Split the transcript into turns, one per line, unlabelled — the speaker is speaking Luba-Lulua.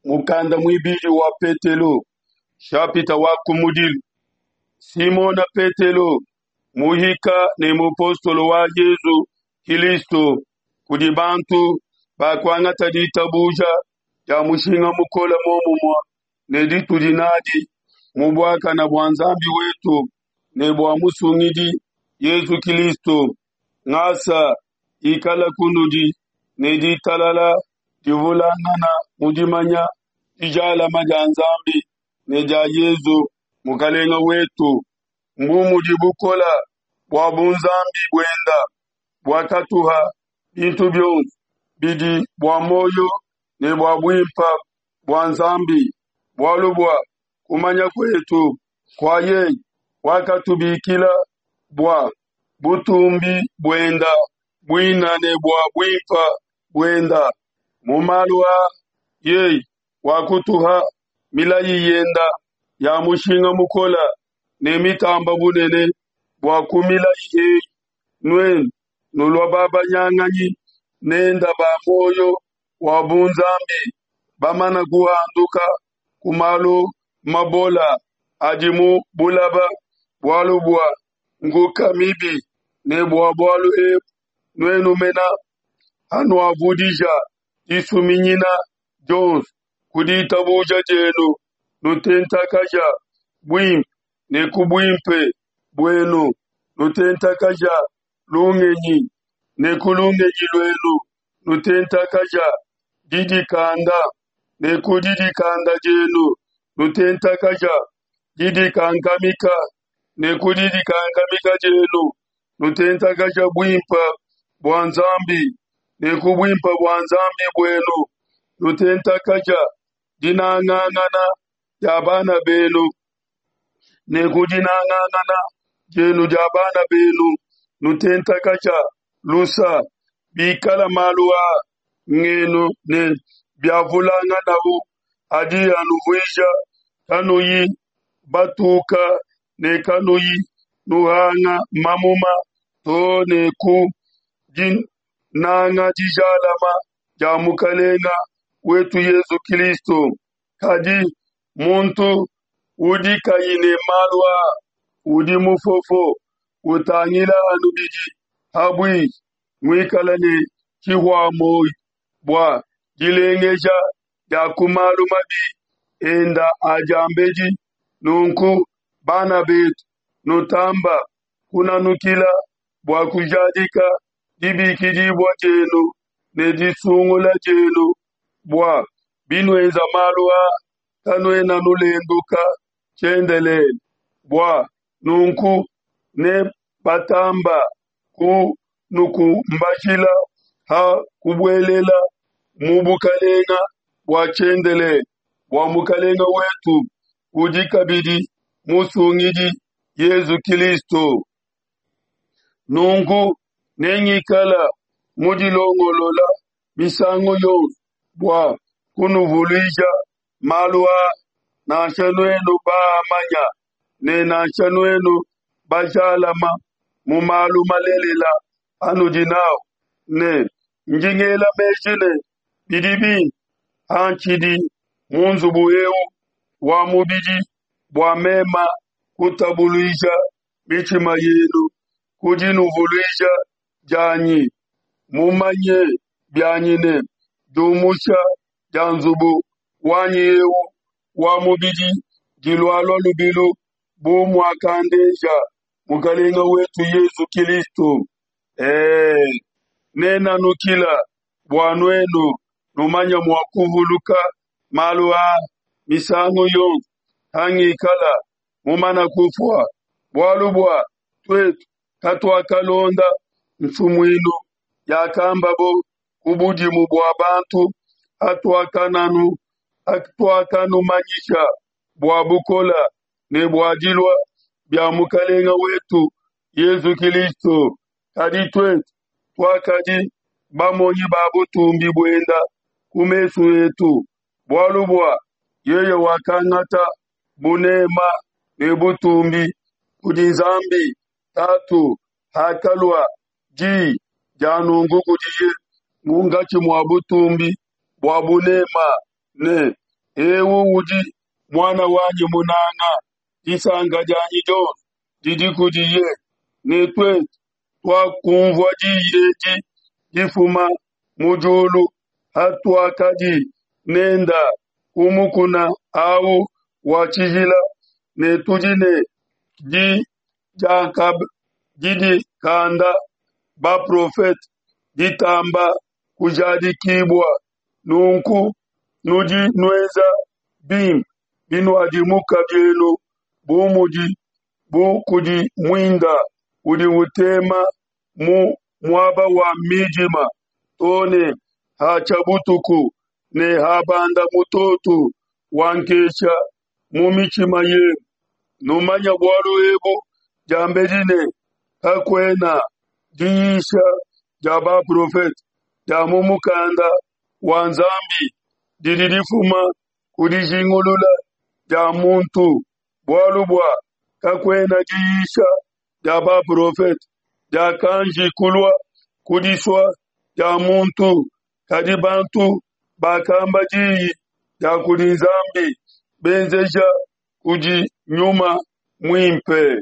Mukanda muibidi wa Petelo, shapita wa kumudilu. Simona Petelo, muhika ne mupostolo wa Yezu Kilisto, kudi bantu bakuangata ditabuja dia mushinga mukole muomumue ne ditudi nadi mu buakana bua Nzambi wetu ne bua Musungidi Yezu Kilisto. Ngasa ikala kunudi ne ditalala divulangana mu dimanya dijalama dia Nzambi ne dia Yezu Mukalenga wetu. Mbu mudi bukola bua bunzambi buenda buakatuha bintu bionso bidi bua muoyo ne bua buimpa bua Nzambi, bualu bua kumanya kuetu kua yeye wakatubikila bua butumbi buenda buina ne bua buimpa buenda. Mu malu aa yeye wakutuha milayi yenda ya mushinga mukola ne mitamba bunene bua ku milayi eyi nuenu nulua babanyanganyi nenda ba muoyo wa bunzambi bamana kuhanduka ku malu mabola adi mu bulaba bualu bua nkuka mibi ne bua bualu ebu nuenu mena hanuavudija disuminyina dionso ku ditabuja dienu nutentakaja buimpe ne ku buimpe buenu nutentakaja lungenyi ne ku lungenyi luenu nutentakaja didikanda ne ku didikanda dienu nutentakaja didikankamika ne ku didikankamika dienu nutentakaja buimpe bua Nzambi ne ku buimpe bua Nzambi buenu nutentakaja dinangangana dia bana benu ne ku dinangangana dienu dia bana benu nutentakaja lusa. Bikala malu a ngenu ne biavulanganawu adi anuvuija kanuyi batuka ne kanuyi nuhanga mamuma too ne ku dinanga dijalama dia Mukalenga wetu Yezu Kilisto. Kadi muntu udi kayi ne malu aa udi mufofo, utangila anu bidi pabuipi, muikale ne tshihua-muoyo bua dilengeja dia ku malu mabi enda a diambedi. Nunku, bana betu, nutamba kunanukila bua kujadika dibikidibua dienu ne disungula dienu, bua binuenza malu aa kanuena nulenduka tshiendelele. Bua nunku ne batamba kunukumbajila ha kubuelela mu bukalenga bua tshiendelele bua Mukalenga wetu udi kabidi Musungidi Yezu Kilisto. Nunku nengikala mudilongolola misangu yonso bua kunuvuluija malu aa, nansha nuenu baamanya ne nansha nuenu bajalama mu malu malelela anudi nawu, ne ndi ngela meji ne, bidi bimpe pantshidi mu nzubu eu wa mubidi bua mema kutabuluija mitshima yenu ku dinuvuluija dianyi, mumanye bianyi ne diumusha dia nzubu wanyi eu wa mubidi dilualua lubilu bu muakandeja Mukalenga wetu Yezu Kilisto. Ee, nenanukila bua nuenu numanye mua kuvuluka malu aa misangu yonso hangikala mumana kufua, bualu bua tuetu katuakalonda nsumuinu yakambabo ku budimu bua bantu hatuakanumanyisha bua bukola ne bua dilua bia Mukalenga wetu Yezu Kilisto. Kadi tuetu tuakadi bamonyi ba butumbi buenda ku mesu etu, bualu bua yeye wakangata bunema ne butumbi kudi Nzambi Tatu hakalua di dia nunku kudiye munkatshi mua butumbi bua bunema ne. Eu udi Muana wanyi munanga, disanka dianyi dionso didi kudiye. Ne tuetu tuakunvua diyi edi difuma mu diulu hatuakadi nenda ku mukuna au wa tshijila, ne tudi ne di didikanda baprofete ditamba kujadikibua. Nunku nudi nuenza bimpe binuadimuka bienu bu mudi bu kudi muinda udi utema mu muaba wa midima to ne hatshia butuku ne habanda mutoto wa nkesha mu mitshima yenu. Numanye bualu ebu diambedi ne, Kakuena diyisha dia baprofete dia mu mukanda wa Nzambi didi difuma ku dijingulula dia muntu, bualu bua kakuena diyisha dia baprofete diakanji kulua ku disua dia muntu, kadi bantu bakamba diyi dia kudi Nzambi benzeja kudi Nyuma Muimpe.